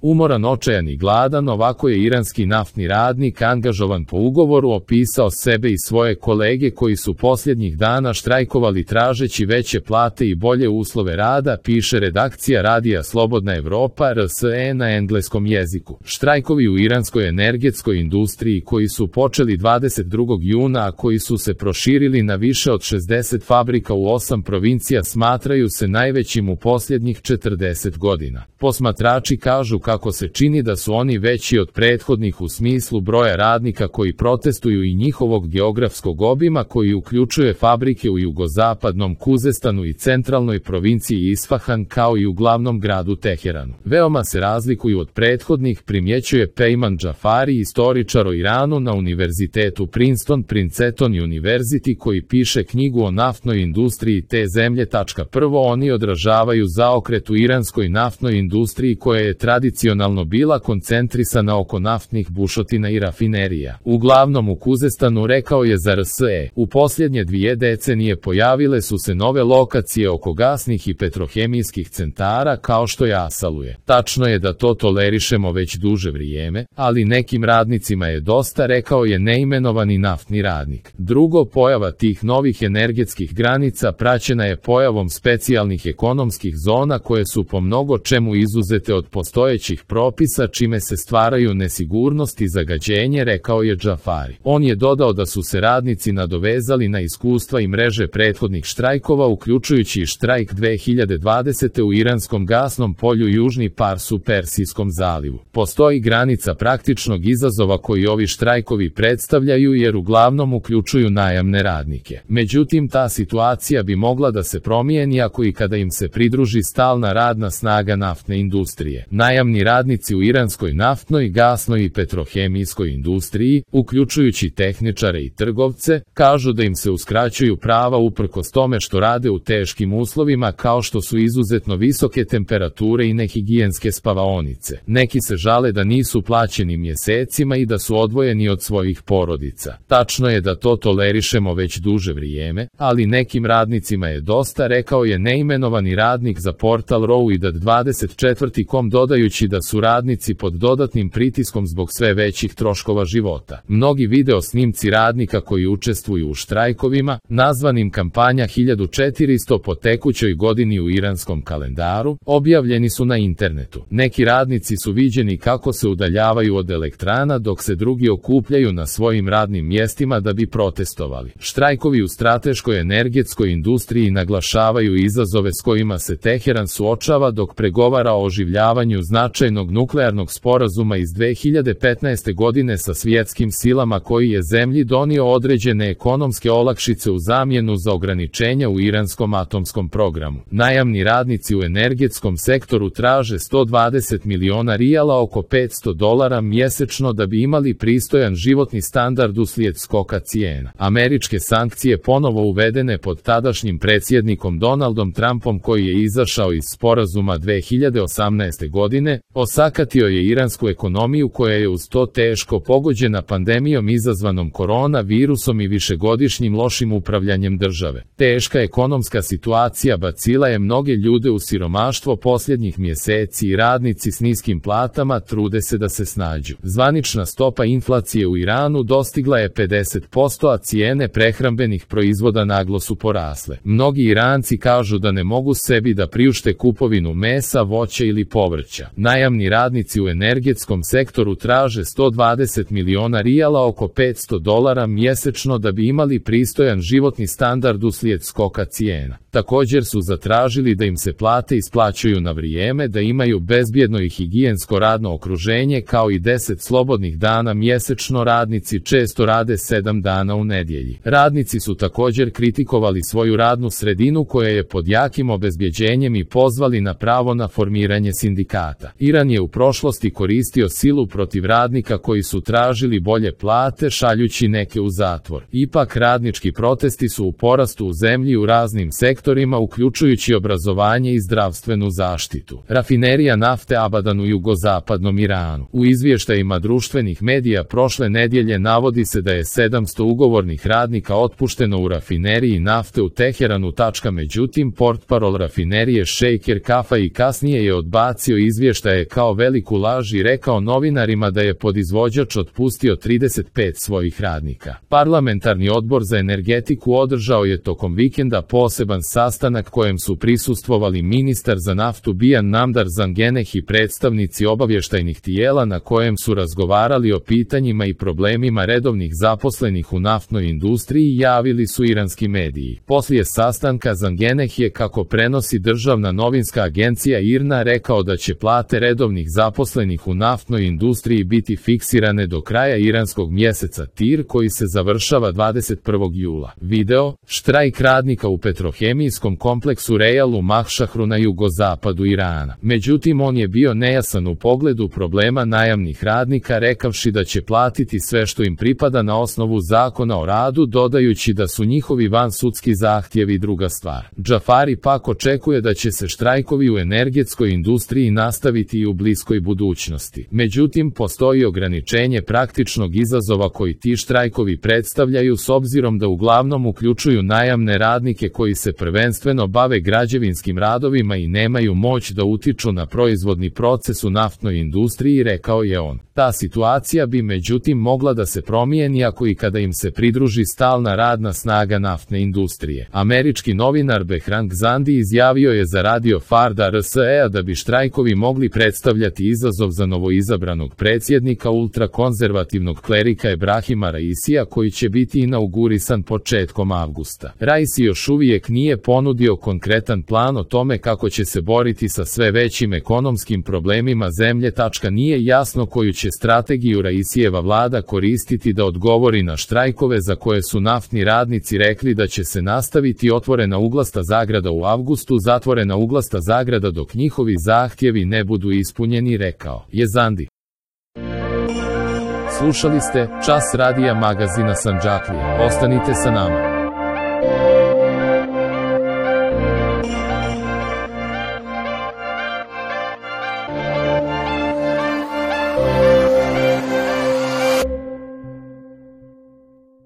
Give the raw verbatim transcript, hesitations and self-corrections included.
Umoran, očajan i gladan, ovako je iranski naftni radnik angažovan po ugovoru opisao sebe i svoje kolege koji su posljednjih dana štrajkovali tražeći veće plate i bolje uslove rada, piše redakcija radija Slobodna Evropa R S E na engleskom jeziku. Štrajkovi u iranskoj energetskoj industriji koji su počeli dvadeset drugog juna, a koji su se proširili na više od šezdeset fabrika u osam provincija, smatraju se najvećim u posljednjih četrdeset godina. Posmatrači kažu kako se čini da su oni veći od prethodnih u smislu broja radnika koji protestuju i njihovog geografskog obima koji uključuje fabrike u jugozapadnom Kuzestanu i centralnoj provinciji Isfahan kao i u glavnom gradu Teheranu. Veoma se razlikuju od prethodnih, primjećuje Pejman Džafari, istoričar o Iranu na univerzitetu Princeton Princeton University, koji piše knjigu o naftnoj industriji te zemlje. Prvo, oni odražavaju zaokret u iranskoj naftnoj industriji koja je tradicionalno bila koncentrisana oko naftnih bušotina i rafinerija. Uglavnom u Kuzestanu, rekao je za R S E, u posljednje dvije decenije pojavile su se nove lokacije oko gasnih i petrohemijskih centara kao što je Asaluje. Tačno je da to tolerišemo već duže vrijeme, ali nekim radnicima je dosta, rekao je neimenovani naftni radnik. Drugo, pojava tih novih energetskih granica praćena je pojavom specijalnih ekonomskih zona koje su po mnogo čemu izuzete od postojećih propisa, čime se stvaraju nesigurnost i zagađenje, rekao je Džafari. On je dodao da su se radnici nadovezali na iskustva i mreže prethodnih štrajkova, uključujući i štrajk dve hiljade dvadesete u iranskom gasnom polju Južni Pars u Persijskom zalivu. Postoji granica praktičnog izazova koji ovi štrajkovi predstavljaju jer uglavnom uključuju najamne radnike. Međutim, ta situacija bi mogla da se promijeni ako i kada im se pridruži stalna radna snaga naftne industrije. Najamni radnici u iranskoj naftnoj, gasnoj i petrohemijskoj industriji, uključujući tehničare i trgovce, kažu da im se uskraćuju prava uprkos tome što rade u teškim uslovima kao što su izuzetno visoke temperature i nehigijenske spavaonice. Neki se žale da nisu plaćeni mjesecima i da su odvojeni od svojih porodica. Tačno je da to tolerišemo već duže vrijeme, ali nekim radnicima je dosta, rekao je neimenovani radnik za portal Rowidad dvadeset četiri kom, dodajući da su radnici pod dodatnim pritiskom zbog sve većih troškova života. Mnogi video snimci radnika koji učestvuju u štrajkovima, nazvanim kampanja hiljadu četiristo po tekućoj godini u iranskom kalendaru, objavljeni su na internetu. Neki radnici su viđeni kako se udaljavaju od elektrana dok se drugi okupljaju na svojim radnim mjestima da bi protestovali. Štrajkovi u strateškoj energetskoj industriji naglašavaju izazove s kojima se Teheran suočava dok pregovara o oživljavanju značajnog nuklearnog sporazuma iz dve hiljade petnaeste godine sa svjetskim silama koji je zemlji donio određene ekonomske olakšice u zamjenu za ograničenja u iranskom atomskom programu. Najamni radnici u energetskom sektoru traže sto dvadeset miliona rijala, oko petsto dolara mjesečno, da bi imali pristojan životni standard uslijed skoka cijena. Američke sankcije, ponovo uvedene pod tadašnjim predsjednikom Donaldom Trumpom koji je izašao iz sporazuma dve hiljade osamnaeste godine, osakatio je iransku ekonomiju koja je uz to teško pogođena pandemijom izazvanom koronavirusom i višegodišnjim lošim upravljanjem države. Teška ekonomska situacija bacila je mnoge ljude u siromaštvo posljednjih mjeseci i radnici s niskim platama trude se da se snađu. Zvanična stopa inflacije u Iranu dostigla je pedeset posto, a cijene prehrambenih proizvoda naglo su porasle. Mnogi Iranci kažu da ne mogu sebi da priušte kupovinu mesa, voća ili povrća. Najamni radnici u energetskom sektoru traže sto dvadeset miliona rijala, oko petsto dolara mjesečno, da bi imali pristojan životni standard uslijed skoka cijena. Također su zatražili da im se plate isplaćuju na vrijeme, da imaju bezbjedno i higijensko radno okruženje kao i deset slobodnih dana mjesečno. Radnici često rade sedam dana u nedjelji. Radnici su također kritikovali svoju radnu sredinu koja je pod jakim obezbjeđenjem i pozvali na pravo na formiranje sindikata. Iran je u prošlosti koristio silu protiv radnika koji su tražili bolje plate, šaljući neke u zatvor. Ipak radnički protesti su u porastu u zemlji u raznim sektorima, uključujući obrazovanje i zdravstvenu zaštitu. Rafinerija nafte Abadan u jugozapadnom Iranu. U izvještajima društvenih medija prošle nedjelje navodi se da je sedamsto ugovornih radnika otpušteno u rafineriji nafte u Teheranu. Međutim, portparol rafinerije Šejker Kafa i kasnije je odbacio izvještaj izveštaje kao veliku laž i rekao novinarima da je podizvođač otpustio trideset pet svojih radnika. Parlamentarni odbor za energetiku održao je tokom vikenda poseban sastanak kojem su prisustvovali ministar za naftu Bijan Namdar Zangeneh i predstavnici obavještajnih tijela, na kojem su razgovarali o pitanjima i problemima redovnih zaposlenih u naftnoj industriji, javili su iranski mediji. Poslije sastanka Zangeneh je, kako prenosi državna novinska agencija I R N A, rekao da će plate redovnih zaposlenih u naftnoj industriji biti fiksirane do kraja iranskog mjeseca Tir, koji se završava dvadeset prvog jula. Video: štrajk radnika u petrohemijskom kompleksu Rejal u Mahšahru na jugozapadu Irana. Međutim, on je bio nejasan u pogledu problema najamnih radnika, rekavši da će platiti sve što im pripada na osnovu zakona o radu, dodajući da su njihovi vansudski zahtjevi druga stvar. Džafari pak očekuje da će se štrajkovi u energetskoj industriji nastaviti i u bliskoj budućnosti. Međutim, postoji ograničenje praktičnog izazova koji ti štrajkovi predstavljaju, s obzirom da uglavnom uključuju najamne radnike koji se prvenstveno bave građevinskim radovima i nemaju moć da utiču na proizvodni proces u naftnoj industriji, rekao je on. Ta situacija bi međutim mogla da se promijeni ako i kada im se pridruži stalna radna snaga naftne industrije. Američki novinar Behran Gzandi izjavio je za radio Farda R S E da bi štrajkovi mogli predstavljati izazov za novoizabranog predsjednika ultrakonzervativnog klerika Ebrahima Raisija, koji će biti inaugurisan početkom avgusta. Raisi još uvijek nije ponudio konkretan plan o tome kako će se boriti sa sve većim ekonomskim problemima zemlje. Nije jasno koju će strategiju Raisijeva vlada koristiti da odgovori na štrajkove za koje su naftni radnici rekli da će se nastaviti. Otvorena uglasta zagrada u avgustu, zatvorena uglasta zagrada dok njihovi zahtjevi ne budu ispunjeni, rekao je Zandi. Slušali ste Čas radija magazina Sandžaklija. Ostanite sa nama.